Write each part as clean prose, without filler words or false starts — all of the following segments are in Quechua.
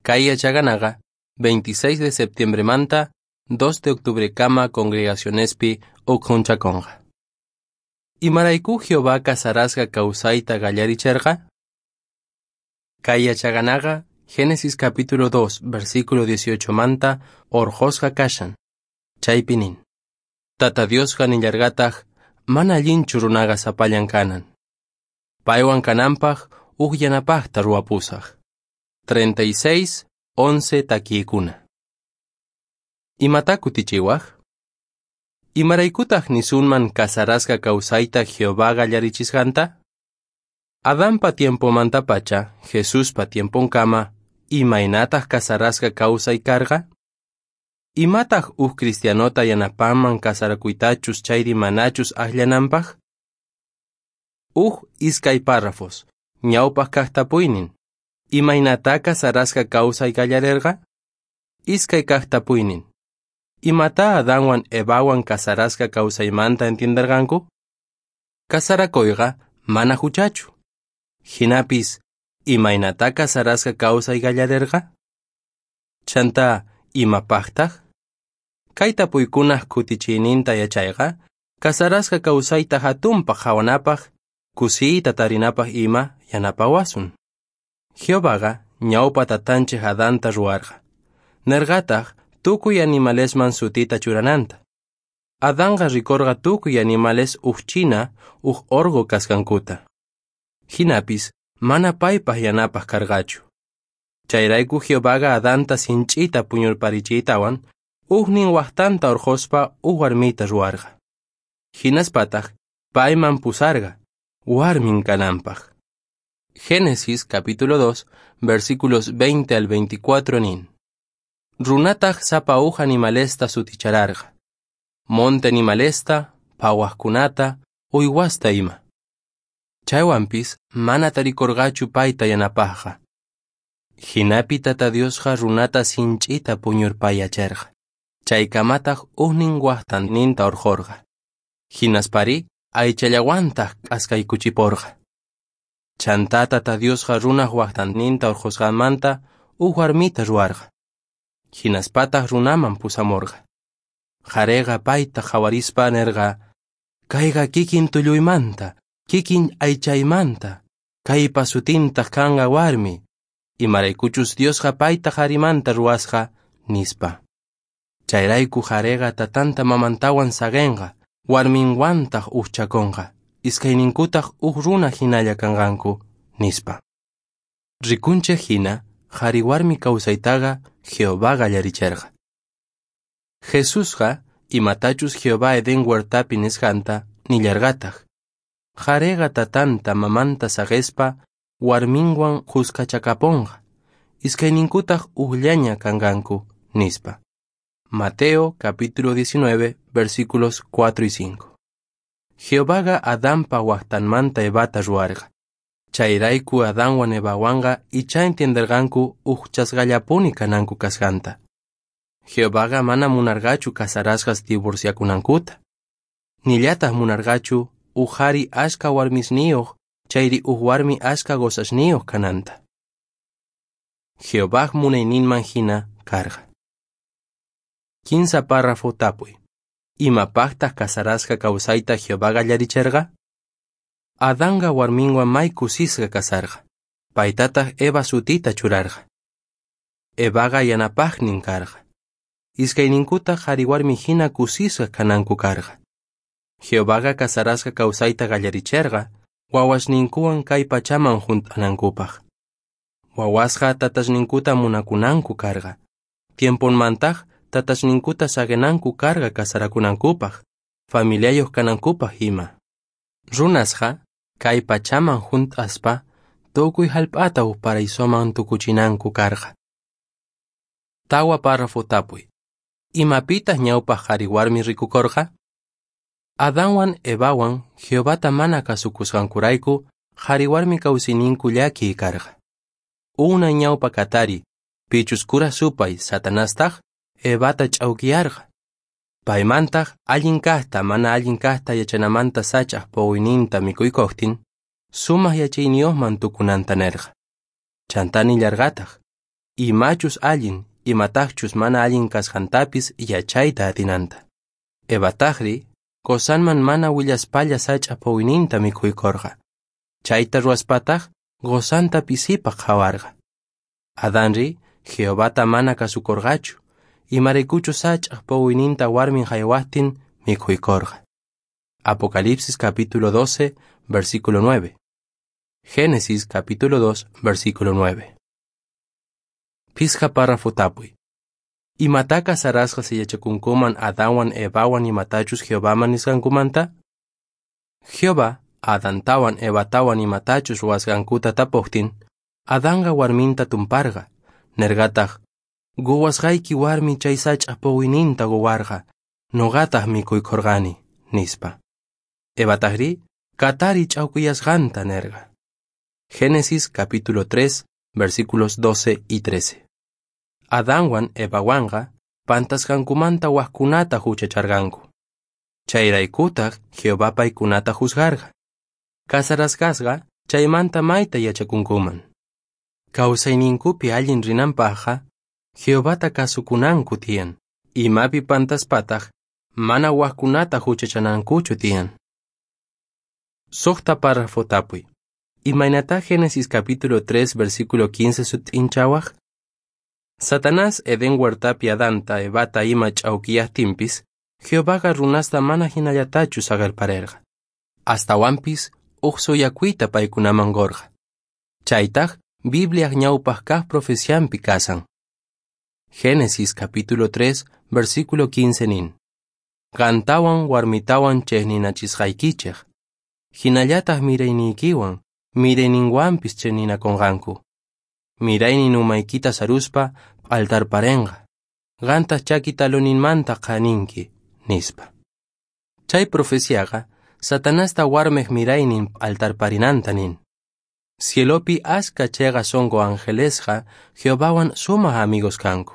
Kay yachaqanaqa 26 de septiembremanta 2 de octubrekama congregacionespi ukhunchakonqa. Imarayku Jehová casarasqa kawsayta qallaricherqa? Kay yachaqanaqa Génesis capítulo 2, versículo 18 manta orqhosqa kashan. Chaypi nin: Tata Diosqa nillarqataq mana allinchu runaqa sapallan kanan. Paywan kananpaq uj yanapaqta ruwapusaq. 36, 11 takiykuna. Imata kutichiwaq? Imaraykutaq nisunman casarasqa kawsayta Jehová qallarichisqanta? Adanpa tiempomantapacha, Jesuspa tiemponkama, imaynataq casarasqa kawsay karqa? Imataq uj cristianota yanapanman casarakuytachus chayri manachus aqllananpaq? Uj iskay párrafos, ñawpaq kaq tapuynin. Imaynatá casarasqa kawsay qallarerqa? Iskay kaq tapuynin. Imatá Adanwan Evawan casarasqa kawsaymanta entienderqanku? Casarakuyqa mana huchachu. Jinapis, imaynatá casarasqa kawsay qallarerqa? Chantá, imapaqtaq? Kay tapuykunaq kutichiyninta yachayqa, casarasqa kawsayta hatunpaq qhawanapaq, kusiyta tarinapaq ima yanapawasun. Jehovaqa ñawpa tatanchik Adanta ruwarqa. Nerqataq tukuy animalesman sutita churananta. Adanqa rikorqa tukuy animales uj china, uj orqo kasqankuta. Jinapis mana paypaq yanapaq karqachu. Chayrayku Jehovaqa Adanta sinch'ita puñurparichiytawan, ujnin waqtanta urqhuspa uj warmita ruwarqa. Hinaspataq payman pusarqa, warmin kananpaq. Génesis capítulo 2, versículos 20 al 24 nin. Runataq sapa uj animalesta sutichararqa. Monte animalesta, phawaqkunata, uywasta ima. Chaywanpis mana tarikorqachu payta yanapaqqa. Jinapi Tata Diosqa runata sinch'ita puñurpayacherqa. Chaykamataq ujnin waqtanninta urqhorqa. Hinaspari aychallawantaq k'askaykuchiporqa. Chantá Tata Diosqa runaq waqtanninta urqhusqanmanta uj warmita ruwarqa. Hinaspataq runaman pusamorqa. Qhariqa payta qhawarispa nerqa: Kayqa kikin tulluymanta, kikin aychaymanta, kaypa sutintaq kanqa warmi, imaraykuchus Diosqa payta qharimanta ruwasqa, nispa. Chayrayku qhariqa tatanta mamantawan saqenqa, warminwantaq ujchakonqa, iskayninkutaq uj runa hinalla kanqanku, nispa. Rikunchik hina, qhari warmi kawsaytaqa Jehová qallaricherqa. Jesusqa imatachus Jehová Edén huertapi nisqanta nillarqataq. Qhariqa tatanta mamanta saqespa warminwan khuskachakaponqa, iskayninkutaq ujllaña kanqanku, nispa. Mateo capítulo 19, versículos 4 y 5. Jehovaqa Adanpa waqtanmanta Evata ruwarqa. Chayrayku Adanwan Evawanqa ichá entienderqanku ujchasqallapuni kananku kasqanta. Jehovaqa mana munarqachu casarasqas divorciakunankuta. Nillataq munarqachu uj qhari ashka warmisniyuq chayri uj warmi ashka qosasniyuq kananta. Jehovaj munayninman hina karqa. 15 párrafo tapuy. Imapaqtaq casarasqa kawsayta Jehová qallaricherqa? Adanqa warminwan may kusisqa kasarqa. Paytataq Eva sutita churarqa. Evaqa yanapaqnin karqa. Iskayninkutaq qhari warmi hina kusisqa kananku karqa. Jehovaqa casarasqa kawsayta qallaricherqa, wawasninkuwan kay pachaman junt'anankupaq. Wawasqa tatasninkuta munakunanku karqa. Tiemponmantaq tatasninkuta saqenanku karqa casarakunankupaq, familiayuq kanankupaq ima. Runasqa kay pachaman junt'aspa tukuy hallp'ata uj paraisoman tukuchinanku karqa. 4 párrafo tapuy. Imapitaq ñawpaq qhari warmi rikukorqa? Adanwan Evawan Jehovata mana kasukusqankurayku qhari warmi kawsayninku llakiy karqa. Unay ñawpa katari, pichus kura supay Satanastaq Evata ch'awkiyarqa. Paymantaq allin kaqta mana allin kaqta yachanamanta sach'aq puquyninta mikuykuqtin, sumaq yachayniyuqman tukunanta nerqa. Chantá nillarqataq, imachus allin, imataqchus mana allin kasqantapis yachayta atinanta. Evataqri, qosanman mana willaspalla sach'a puquyninta mikhuykorqa. Chayta ruwaspataq qosanta pisipaq qhawarqa. Adanri, Jehovata mana kasukorqachu, imaraykuchus sach'aj puquyninta warmin haywaqtin mikhuykorqa. Apocalipsis capítulo 12, versículo 9. Génesis capítulo 2, versículo 9. Pisqa párrafo tapuy. Imatá casarasqas yachakunkuman Adanwan Evawan imatachus Jehovaman nisqankumanta? Jehová Adantawan Evatawan imatachus ruwasqankuta tapuqtin, Adanqa warminta tumparqa, nerqataq, Quwasqayki warmi chay sach'a puquyninta quwarqa, nuqataq mikhuykorqani, nispa. Evataqri, katari ch'awkiyasqanta nerqa. Génesis capítulo 3, versículos 12 y 13. Adanwan Evawanqa pantasqankumanta wajkunata huchacharqanku. Chayraykutaq Jehová paykunata juzgarqa. Casarasqasqa chaymanta mayta yachakunkuman. Kawsayninkupi allin rinanpaqqa Jehovata kasukunanku tiyan. Imapi pantaspataq mana wajkunata huchachanankuchu tiyan. Suqta párrafo tapuy. Imaynatá Génesis capítulo 3 versículo 15 sut'inchawaq? Satanás Edén huertapi Adanta Evata ima ch'awkiyaqtinpis, Jehovaqa runasta mana hinallatachu saqerparerqa. Astawanpis uj suyakuyta paykunaman qurqa. Chaytaq Bibliaj ñawpaq kaq profecianpi kasan. Génesis capítulo 3 versículo 15 nin. Qantawan warmitawan chejninachisqaykichej. Hinallataq mirayniykiwan, mirayninwanpis chejninakunqanku. Miraynin umaykita saruspa p'altarparenqa. Qantaq chaki taloninmanta qhaninki, nispa. Chay profeciaqa Satanasta warmej miraynin p'altarparinanta nin. Cielopi aska cheqa sonqo angelesqa Jehovawan sumaq amigos kanku.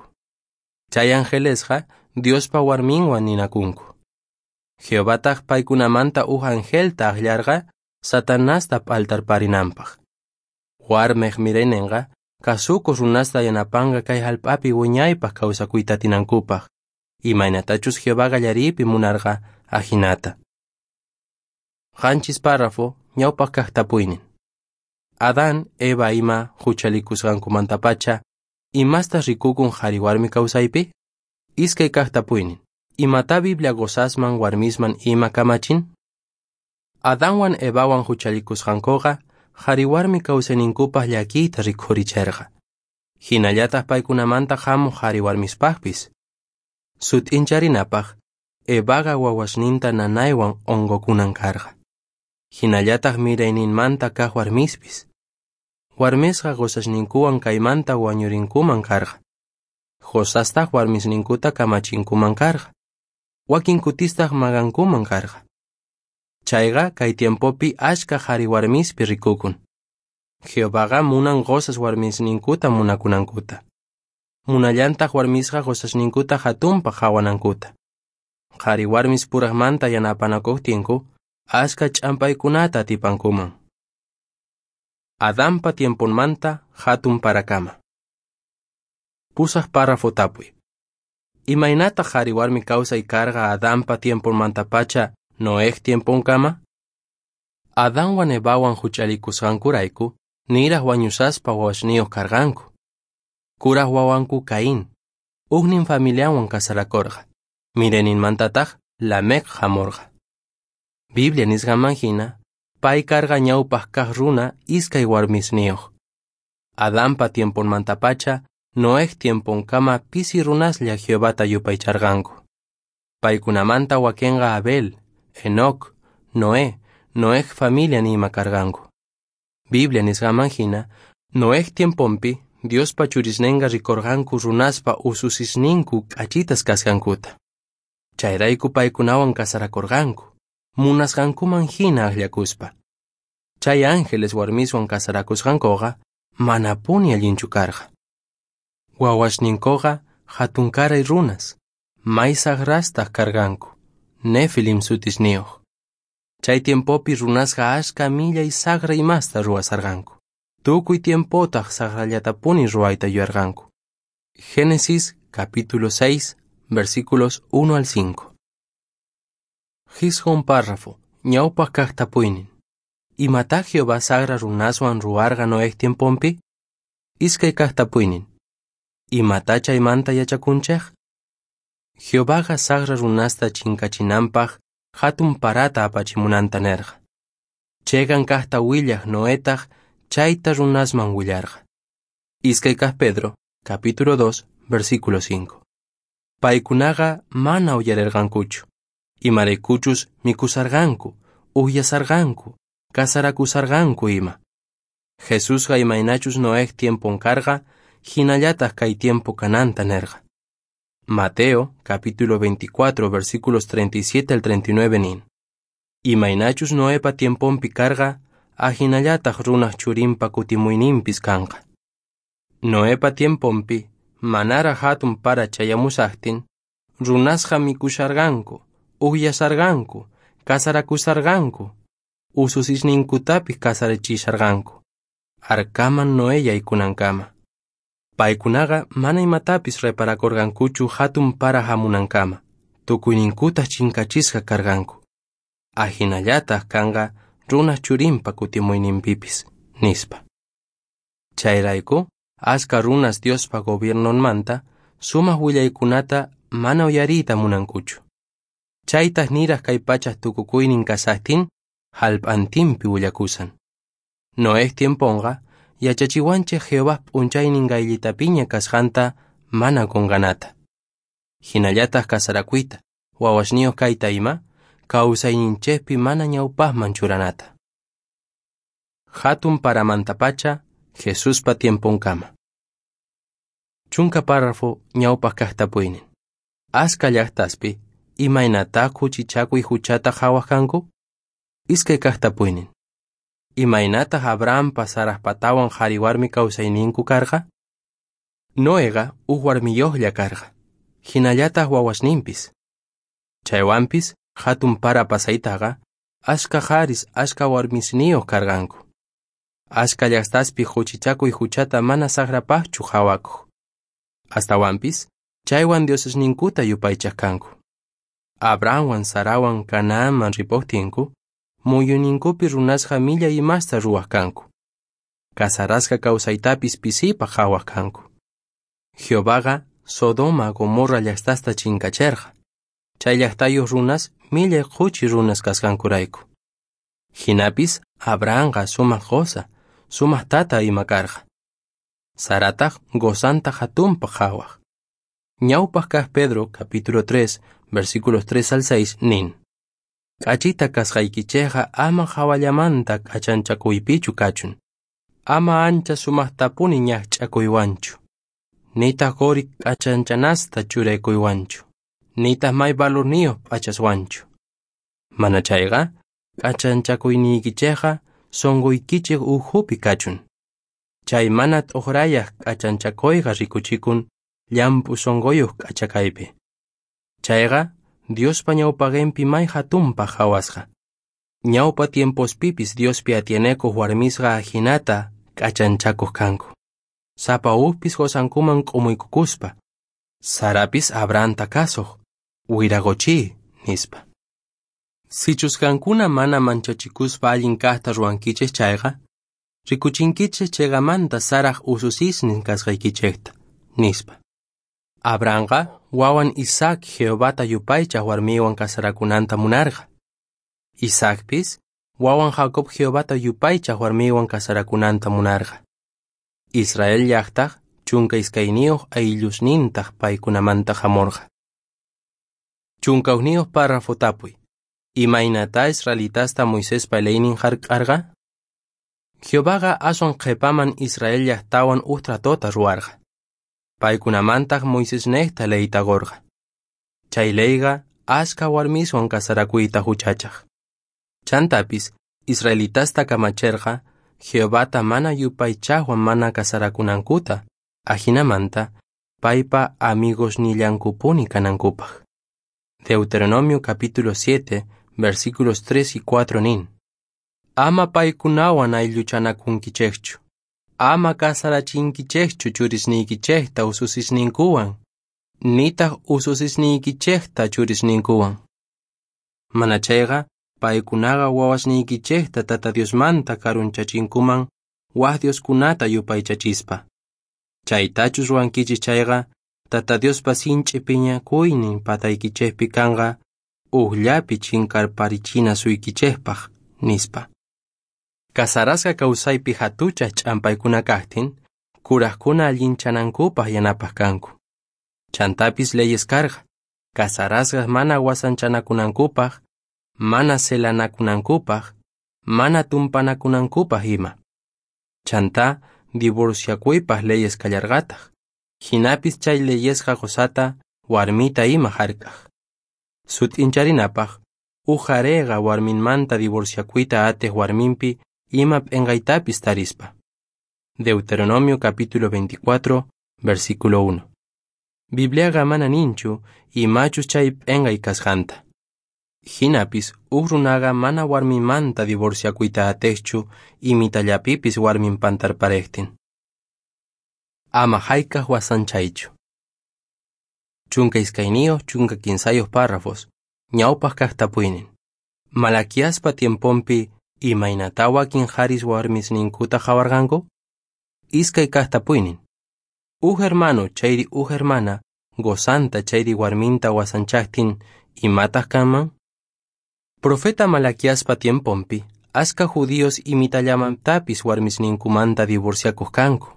Chay angelesqa Diospa warminwan ninakunku. Jehovataq paykunamanta uj angelta akllarqa Satanasta p'altarparinanpaq. Warmej miraynenqa kasukuq runasta yanapanqa kay hallp'api wiñaypaq kawsakuyta atinankupaq, imaynatachus Jehová qallariypi munarqa ajinata. Qanchis párrafo ñawpaq kaq tapuynin. Adán, Eva ima huchalikusqankumantapacha, imastaq rikukun qhari warmi kawsaypi? Iskay kaq tapuynin. Imatá Biblia qosasman warmisman ima kamachin? Adanwan Evawan huchalikusqankuqa qhari warmi kawsayninkupaq llakiyta rikhuricherqa. Hinallataq paykunamanta hamuq qhari warmispaqpis. Sut'incharinapaq, Evaqa wawasninta nanaywan unqukunan karqa. Hinallataq mirayninmanta kaq warmispis. Warmisqa qosasninkuwan kaymanta wañurinkuman karqa. Qosastaq warmisninkuta kamachinkuman karqa. Wakin kutistaq maqankuman karqa. Chayqa kay tiempopi achka qhari warmispi rikukun. Jehovaqa munan qosas warmisninkuta munakunankuta. Munallantaq warmisqa qosasninkuta hatunpaq qhawanankuta. Qhari warmis puraqmanta yanapanakuqtinku, achka ch'ampaykunata atipankuman. Adanpa tiemponmanta hatun parakama. Pusaq párrafo tapuy. Imaynataq qhari warmi kawsay karqa Adanpa tiemponmantapacha Noej tiemponkama? Adanwan Evawan huchalikusqankurayku, niraq wañusaspa wawasniyuq karqanku. Kuraq wawanku Caín, ujnin familianwan casarakorqa. Mirayninmantataq Lamec hamurqa. Biblia nisqanman hina, pay karqa ñawpaq kaq runa iskay warmisniyuq. Adanpa tiemponmantapacha Noej tiemponkama pisi runaslla Jehovata yupaycharqanku. Paykunamanta wakinqa Abel, Enoc, Noé, Noej familian ima karqanku. Biblia nisqanman hina, Noej tiemponpi Diospa churisnenqa rikorqanku runaspa ususisninku k'achitas kasqankuta. Chayrayku paykunawan casarakorqanku, munasqankuman hina akllakuspa. Chay ángeles warmiswan casarakusqankuqa manapuni allinchu karqa. Wawasninkuqa hatunkaray runas, may saqrastaq karqanku, Nefilim sutisniyuq. Chay tiempopi runasqa achka millay saqra imasta ruwasarqanku. Tukuy tiempotaq saqrallatapuni ruwayta yuyarqanku. Génesis capítulo 6, versículos 1 al 5. Jisq'un párrafo, ñawpaq kaq tapuynin. Imatá Jehová saqra runaswan ruwarqa Noej tiemponpi? Iskay kaq tapuynin. Imatá chaymanta yachakunchej? Jehovaqa saqra runasta chinkachinanpaq jatun parata apachimunanta nerqa. Cheqan kaqta willaj Noetaq chayta runasman willarqa. Iskay kaq Pedro, capítulo 2, versículo 5. Paykunaqa mana uyarerqankuchu. Imaraykuchus mikhusarqanku, ujyasarqanku, casarakusarqanku ima. Jesusqa imaynachus Noej tiempon karqa, hinallataq kay tiempo kananta nerqa. Mateo, capítulo 24, versículos 37 al 39 nin. Imaynachus Noepa tiemponpi karqa, ajinallataq runaj churinpa kutimuyninpis kanqa. Noepa tiemponpi, manaraj hatun para chayamusajtin, runasqa mikhusharqanku, ujyasharqanku, casarakusharqanku, ususisninkutapis casarachisharqanku. Arkaman Noé yaykunankama. Paykunaqa mana imatapis reparakurqankuchu hatun para hamunankama, tukuyninkutaq chinkachisqa karqanku. Ajinallataq kanqa runaj churinpa kutimuyninpipis, nispa. Chayrayku, ashka runas Diospa gobiernonmanta sumaq willaykunata mana uyariyta munankuchu. Chaytaq niraj kay pachaj tukukuynin kashajtin, jallp'antinpi willakusan. Noej tiemponqa yachachiwanchej Jehová p'unchaynin qayllitapiña kasqanta mana qunqanata. Hinallataq kasarakuyta, wawasniyuq kayta ima, kawsayninchejpi mana ñawpaqman churanata. Hatun paramantapacha, Jesuspa tiemponkama. 10 párrafo ñawpaq kaq tapuynin. Ashka llaqtaspi, imaynatá khuchichakuy huchata qhawaq kanku? Iskay kaq tapuynin. Imaynataq Abrahampa Sarajpatawan qhari warmi kawsayninku karqa? Noeqa uj warmiyuqlla karqa, hinallataq wawasninpis. Chaywanpis hatun para pasaytaqa ashka qharis ashka warmisniyuq karqanku. Ashka llaqtaspi khuchichakuy huchata mana saqrapaqchu qhawakuq. Astawanpis chaywan diosesninkuta yupaychaq kanku. Abrahamwan Sarawan Canaanman ripuqtinku, muyuyninkupi runasqa millay imasta ruwaq kanku. Casarasqa kawsaytapis pisipaq qhawaq kanku. Jehovaqa Sodoma Gomorra llaqtasta chinkacherqa. Chay llaqtayuq runas millay khuchi runas kasqankurayku. Hinapis Abrahamqa sumaq qosa, sumaq tata ima karqa. Sarataq qosanta hatunpaq qhawaq. Ñawpaq kaq Pedro, capítulo 3, versículos 3 al 6, nin. K'achita kasqaykichejqa ama hawallamanta k'achanchakuypichu kachun. Ama ancha sumaqtapuni ñaqch'akuywanchu. Nitaq quri k'achanchanasta churaykuywanchu. Nitaq may valorniyuq p'achaswanchu. Mana chayqa, k'achanchakuyniykichejqa sunquykichej ukhupi kachun. Chay mana t'uqrayaq k'achanchakuyqa rikuchikun llamp'u sunquyuq k'achakaypi. Chayqa Diospa ñawpaqinpi may hatunpaq qhawasqa. Ñawpa tiempospipis Diospi atienekuq warmisqa ajinata k'achanchakuq kanku. Sapa ujpis qosankuman k'umuykukuspa. Sarapis Abrahamta kasuq, wiraqochi, nispa. Sichus qankuna mana manchachikuspa allin kaqta ruwankichej chayqa, rikuchinkichej cheqamanta Saraj ususisnin kasqaykichejta, nispa. Abrahamqa wawan Isaac Jehovata yupaychaq warmiwan casarakunanta munarqa. Isaacpis wawan Jacob Jehovata yupaychaq warmiwan casarakunanta munarqa. Israel llaqtaq 12 ayllusnintaq paykunamanta hamurqa. 11 párrafo tapuy. Imaynatá israelitasta Moisespa leynin hark'arqa? Jehovaqa aswan qhipaman Israel llaqtawan uj tratota ruwarqa. Paykunamantaq Moisesnejta leyta qurqa. Chay leyqa ashka warmiswan casarakuyta huchachaq. Chantapis israelitasta kamacherqa Jehovata mana yupaychaqwan mana casarakunankuta, ajinamanta paypa amigosnillankupuni kanankupaq. Deuteronomio capítulo 7, versículos 3 y 4 nin. Ama paykunawan aylluchanakunkichejchu. Ama casarachinkichejchu churisniykichejta ususisninkuwan, nitaj ususisniykichejta churisninkuwan. Manachayqa paykunaqa wawasniykichejta Tata Diosmanta karunchachinkuman waj dioskunata yupaychachispa. Chaytachus ruwankichis chayqa, Tata Diospa sinch'i phiñakuynin pataykichejpi kanqa ujllapi chinkarparichinasuykichejpaj, nispa. Casarasqa kawsaypi hatuchaj ch'ampaykuna kajtin, kurajkuna allinchanankupaj yanapaj kanku. Chantapis leyes karqa, casarasqas mana wasanchanakunankupaj, mana celanakunankupaj, mana tumpanakunankupaj ima. Chantá divorciakuypaj leyes kallarqataj, jinapis chay leyesqa qosata, warmita ima jark'aj. Sut'incharinapaj, uj qhareqa warminmanta divorciakuyta atej warminpi ima p'enqaytapis tarispa. Deuteronomio capítulo 24, versículo 1. Bibliaqa mana ninchu imachus chay p'enqay kasqanta. Jinapis uj runaqa mana warminmanta divorciakuyta atejchu imitallapipis warmin pantarparejtin. Ama jayk'aj wasanchaychu. 12 13 párrafos, ñawpaj kaj tapuynin. Malaquiaspa tiemponpi imaynatá wakin qharis warmisninkuta qhawarqanku? Iskay kaj tapuynin. Uj hermano chayri uj hermana gozanta chayri warminta wasanchajtin imataj kanman? Profeta Malaquiaspa tiemponpi aska judíos imitallamantapis warmisninkumanta divorciakuq kanku.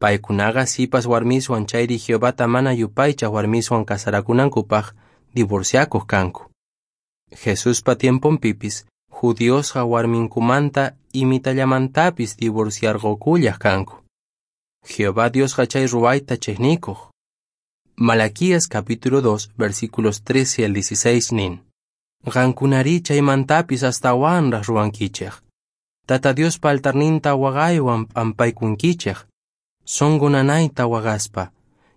Paykunaqa sipas warmiswan chayri Jehovata mana yupaychaj warmiswan casarakunankupaj divorciakuq kanku. Jesuspa tiemponpipis judiosqa warminkumanta imitallamantapis divorciarqukullaj kanku. Jehová Diosqa chay ruwayta chejnikuq. Malaquías capítulo 2 versículos 13 al 16 nin. Qankunarí chaymantapis astawanraj ruwankichej. Tata Diospa altarninta waqaywan p'ampaykunkichej, sonqo nanayta waqaspa,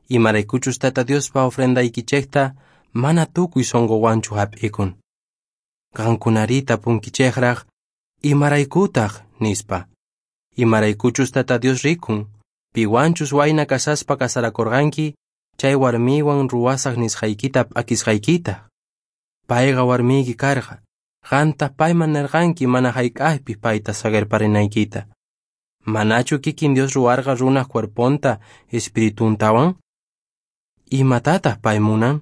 imaraykuchus Tata Diospa ofrendaykichejta mana tukuy sonqowanchu hap'ikun. Qankunarí tapunkichejraj, imaraykutaj, nispa. Imaraykuchus Tata Dios rikun, piwanchus wayna kasaspa kasarakurqanki, chay warmiwan ruwasaj nisqaykita p'akisqaykita. Payqa warmiyki karqa, qantaq payman nerqanki mana jayk'aqpis payta saqerparinaykita. Manachu kikin Dios ruwarqa runaj cuerponta espirituntawan? Imatataq pay munan?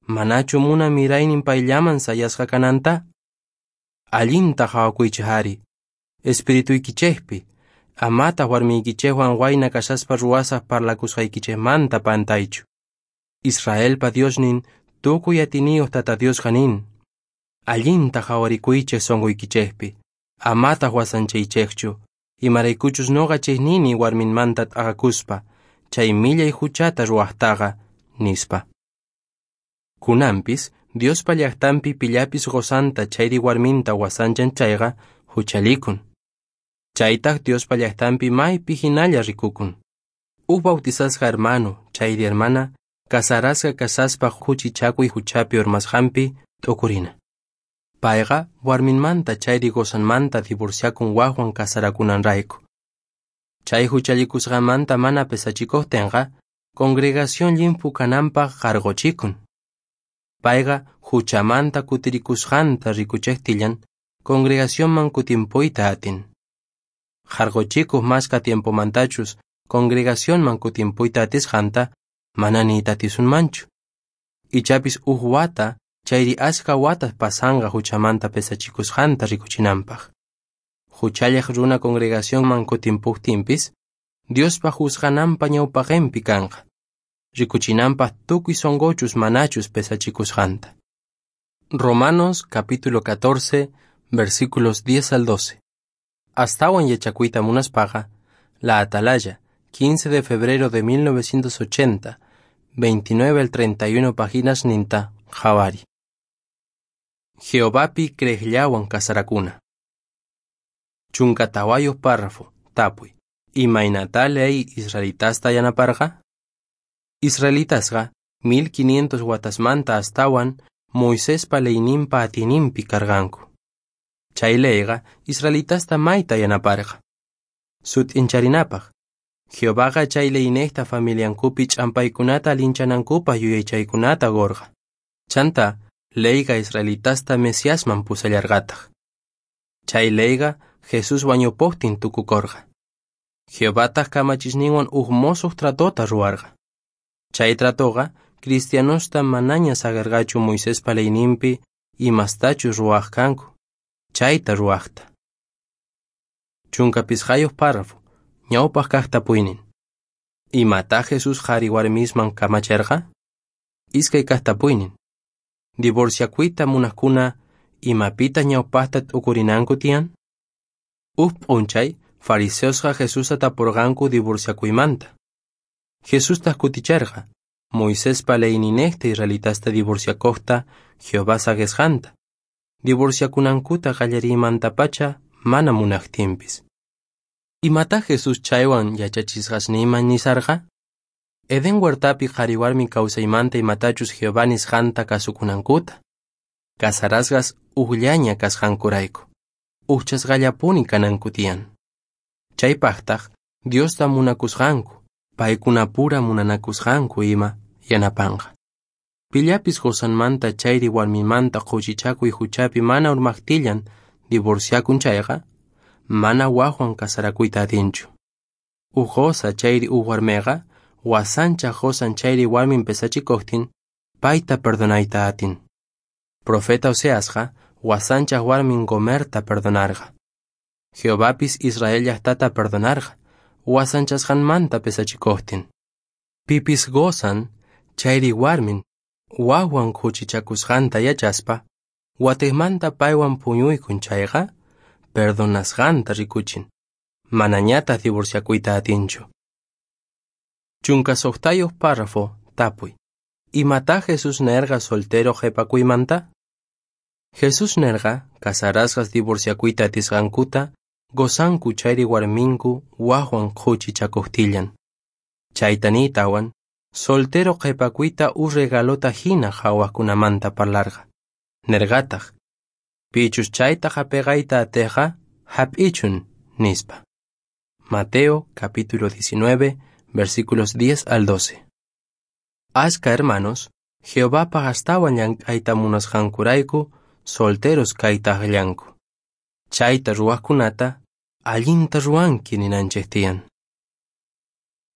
Manachu munan miraynin payllaman sayasqa kananta? Allinta qhawakuychej ari, espirituykichejpi, amataq warmiykichejwan wayna kashaspa ruwasaj parlakusqaykichejmanta pantaychu. Israelpa Diosnin tukuy atiniyuq Tata Diosqa nin, allinta qhawarikuychej sonqoykichejpi, amataq wasanchaychejchu, imaraykuchus noqa chejnini warminmanta t'aqakuspa, chay millay huchata ruwajtaqa, nispa. Kunanpis, Diospa llaqtanpi pillapis qosanta chayri warminta wasanchan chayqa huchalikun. Chaytaq Diospa llaqtanpi maypi hinalla rikukun. Uj bautizasqa hermano chayri hermana casarasqa kasaspa khuchichakuy huchapi urmasqanpi t'ukurina. Payqa warminmanta chayri qosanmanta divorciakun wajwan casarakunanrayku. Chay huchallikusqanmanta mana pesachikuqtinqa, congregación llimphu kananpaq qarquchikun. Payqa huchamanta kutirikusqanta rikuchejtillan, congregacionman kutimpuyta atin. Qarquchikuq mashka tiempomantachus congregacionman kutimpuyta atisqanta mana niyta atisunmanchu. Ichapis uj wata chayri ashka watas pasanqa huchamanta pesachikusqanta rikuchinanpaq. Huchallaq runa congregacionman kutimpuqtinpis, Diospa juzgananpa ñawpaqinpi kanqa, rikuchinanpaq tukuy sonqochus manachus pesachikusqanta. Romanos capítulo 14, versículos 10 al 12. Astawan yachakuyta munaspaqa, La Atalaya, 15 de febrero de 1980, 29 al 31 páginas ninta, Javari. Jehovapi creejllawan kasarakuna. 14 párrafo, tapuy. Imaynatá ley israelitasta yanaparqa? Israelitasqa 1500 watasmanta astawan Moisespa leyninpa atininpi karqanku. Chay leyqa israelitasta mayta yanaparqa. Sut'incharinapaj, Jehovaqa chay leynejta familiankupi ch'ampaykunata allinchanankupaj yuyaychaykunata qorqa. Chantá leyqa israelitasta Mesiasman pusallarqataj. Chay leyqa Jesús wañupojtin tukukorqa. Jehovataj kamachisninwan uj mosoj tratota ruwarqa. Chay tratoqa cristianosta manaña saqerqachu Moisespa leyninpi imastachus ruwaj kanku, chayta ruwajta. 15 párrafo, ñawpaj kaj tapuynin. Imatá Jesús qhari warmisman kamacherqa? Iskay kaj tapuynin. Divorciakuyta munajkuna imapita ñawpajta t'ukurinanku tiyan? Uj p'unchay fariseosqa Jesusta tapurqanku divorciakuymanta. Jesustaj kuticherqa Moisespa leyninejta israelitasta divorciakojta Jehová saqesqanta. Divorciakunankuta qallariymantapacha mana munajtinpis. Imatá Jesús chaywan yachachisqasninman nisarqa? Edén huertapi qhari warmi kawsaymanta imatachus Jehová nisqanta kasukunankuta. Casarasqas ujllaña kasqankurayku, ujchasqallapuni kananku tiyan. Chaypajtaj Diosta munakusqanku, paykunapura munanakusqanku ima yanapanqa. Pillapis qosanmanta chayri warminmanta qhuchichakuy huchapi mana urmajtillan divorciakun chayqa, mana wajwan casarakuyta atinchu. Uj qosa chayri uj warmeqa, wasanchaj qosan chayri warmin pesachikojtin, payta perdonayta atin. Profeta Oseasqa wasanchaj warmin Gomerta perdonarqa. Jehovapis Israel llajtata perdonarqa, wasanchasqanmanta pesachikojtin. Pipis qosan chayri warmin wajwan khuchichakusqanta yachaspa, watejmanta paywan puñuykun chayqa, perdonasqanta rikuchin, manañataj divorciakuyta atinchu. 16 párrafo, tapuy. Imatá Jesús nerqa soltero qhepakuymanta? Jesús nerqa casarasqas divorciakuyta atisqankuta qosanku chayri warminku wajwan khuchichakojtillan. Chayta niytawan, soltero qhepakuyta uj regalota hina qhawajkunamanta parlarqa. Nerqataj, pichus chayta jap'eqayta atejqa, jap'ichun, nispa. Mateo capítulo 19, versículos 10 al 12. Ashka hermanos, Jehovapaj astawan llank'ayta munasqankurayku solteros kayta aqllanku. Chayta ruwajkunata allinta ruwanki ninanchej tiyan.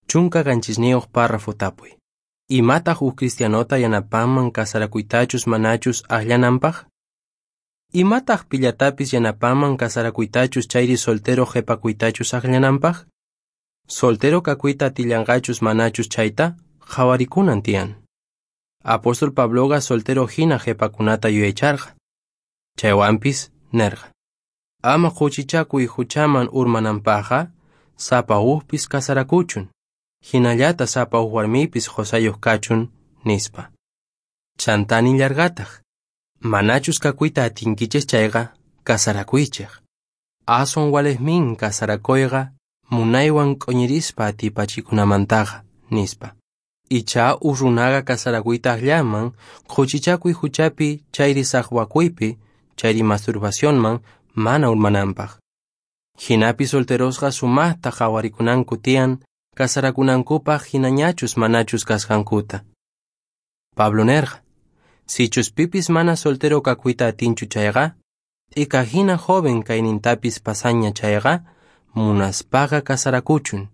17 párrafo tapuy. Imataq uj cristianota yanapanman casarakuytachus manachus aqllananpaj? Imataq pillatapis yanapanman casarakuytachus chayri soltero qhepakuytachus aqllananpaj? Soltero kakuyta atillanqachus manachus chayta qhawarikunan tiyan. Apóstol Pabloqa soltero hina qhepakunata yuyaycharqa. Chaywanpis nerqa: ama khuchichakuy huchaman urmananpajqa sapa ujpis casarakuchun, hinallata sapa uj warmipis qosayuq kachun, nispa. Chantá nillarqataj: manachus kakuyta atinkichej chayqa, casarakuychej. Aswan walejmin casarakuyqa munaywan q'uñirispa atipachikunamantaqa, nispa. Ichá uj runaqa casarakuyta aqllaman khuchichakuy huchapi chayri saqwakuypi chayri masturbacionman mana urmananpaj. Jinapi solterosqa sumajta qhawarikunanku tiyan casarakunankupaj hinañachus manachus kasqankuta. Pablo nerqa: sichus pipis mana soltero kakuyta atinchu chayqa, t'ika hina joven kaynintapis pasaña chayqa, munaspaqa casarakuchun,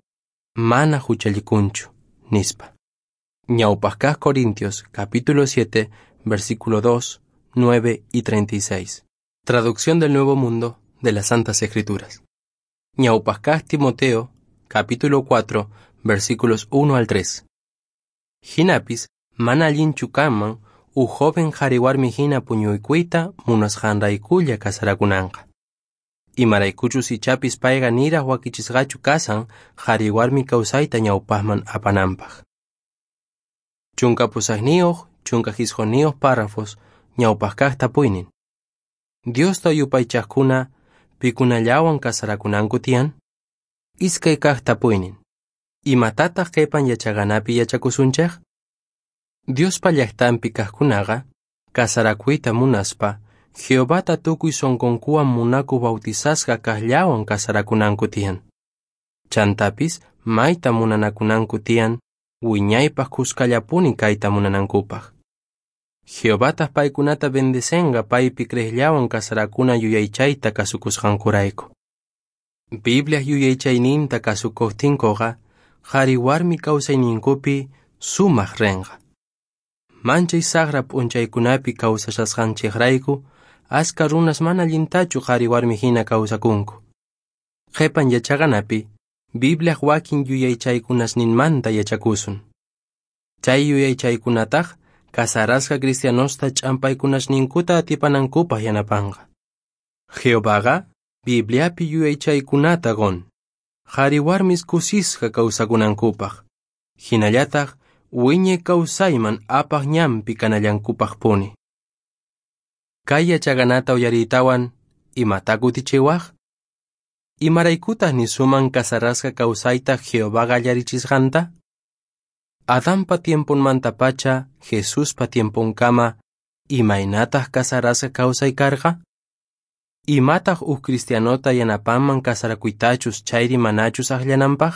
mana huchallikunchu, nispa. Ñawpaj kaj Corintios, capítulo 7, versículo 2, 9 y 36. Traducción del Nuevo Mundo de las Santas Escrituras. Ñawpaj kaj Timoteo, capítulo 4, versículos 1 al 3. Jinapis, mana allinchu kanman uj joven qhari warmi hina puñuykuyta munasqanraykulla casarakunanqa. Imaraykuchus ichapis payqa niraj wakichisqachu kasan qhari warmi kawsayta ñawpajman apananpaj. 18 19 párrafos ñawpaj kaj tapuynin. Diosta yupaychajkuna pikunallawan casarakunanku tiyan? Iskay kaj tapuynin. Imatataq qhipan yachaqanapi yachakusunchej? Diospa llaqtanpi kajkunaqa casarakuyta munaspa Jehovata tukuy sonqonkuwan munakuq bautizasqa kaqllawan casarakunanku tiyan. Chantapis mayta munanakunanku tiyan, wiñaypaj khuskallapuni kayta munanankupaj. Jehovataj paykunata bendecenqa paypi creejllawan casarakuna yuyaychayta kasukusqankurayku. Bibliaj yuyaychayninta kasukojtinkoqa, qhari warmi kawsayninkupi sumaj renqa. Manchay sajra p'unchaykunapi kawsashasqanchejrayku, ashkha runas mana allintachu qhari warmi hina kawsakunku. Qhepan yachaqanapi, Bibliaj wakin yuyaychaykunasninmanta yachakusun. Chay yuyaychaykunataj casarasqa cristianosta ch'ampaykunasninkuta atipanankupaj yanapanqa. Jehovaqa Bibliapi yuyaychaykunata qon, qhari warmis kusisqa kawsakunankupaj, hinallataj wiñay kawsayman apaj ñanpi kanallankupajpuni. Kay yachaqanata uyariytawan, imatá kutichiwaj? Imaraykutaj nisuman casarasqa kawsayta Jehová qallarichisqanta? Adanpa tiemponmantapacha Jesuspa tiemponkama, imaynataj casarasqa kawsay karqa? Imataj uj cristianota yanapanman casarakuytachus chayri manachus ajllananpaj?